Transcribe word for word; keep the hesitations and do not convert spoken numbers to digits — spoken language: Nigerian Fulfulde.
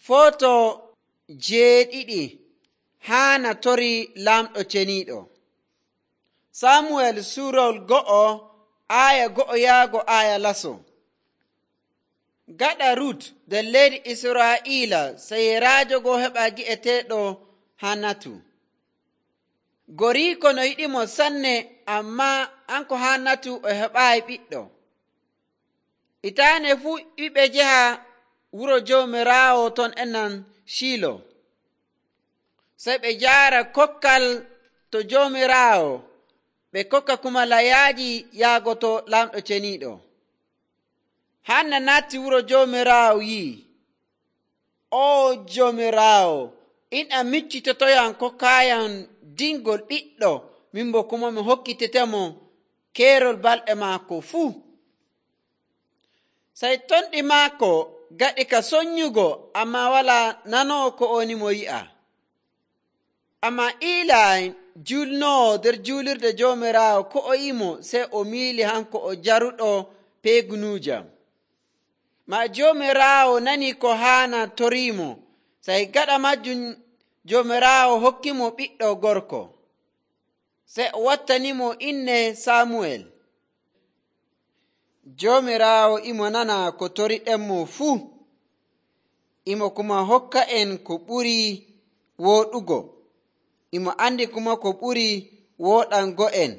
Foto jeeɗiɗi Haana torii laamɗo ceniiɗo. Samuel suurol go'o aaya go'o yaago aaya laso. Gaɗa Rut nder leydi Israa'iila seyiraajo goo heɓaa gi'eteeɗo Haanatu. Goriiko no yiɗimo sanne, ammaa hanko Haanatu o heɓaayi ɓiɗɗo. Hitaande fuu ɓiɓɓe njaha wuro Joomiraawo ton ennan Shiilo. Sey ɓe njaara kokkal to Joomiraawo, ɓe kokka kuma layaaji yaago to laamɗo ceniiɗo. Hanna naatti wuro Joomiraawo yi'i, "O Joomiraawo, in a miccitotoyam kokkaayam dingol ɓiɗɗo, min bo kuma mi hokkitetemo keerol balɗe maako fuu." Sey tonɗi maako gaɗi ka sonyugo, ammaa walaa nanoowo ko o woni mo yi'a. Ammaa Iilay julnoowo nder juulirde Joomiraawo ko o yi'imo, sey o miili hanko o jaruɗo peegunuujam. Maa Joomiraawo nanii ko Haana toriimo, sey gaɗa majjum Joomiraawo hokkimo ɓiɗɗo gorko. Sey o wattanimo inne Samuel. Joomiraawo imo nana ko toriɗenmo fuu, imo kuma hokka en ko ɓuri wooɗugo, imo andi kuma ko ɓuri wooɗango en.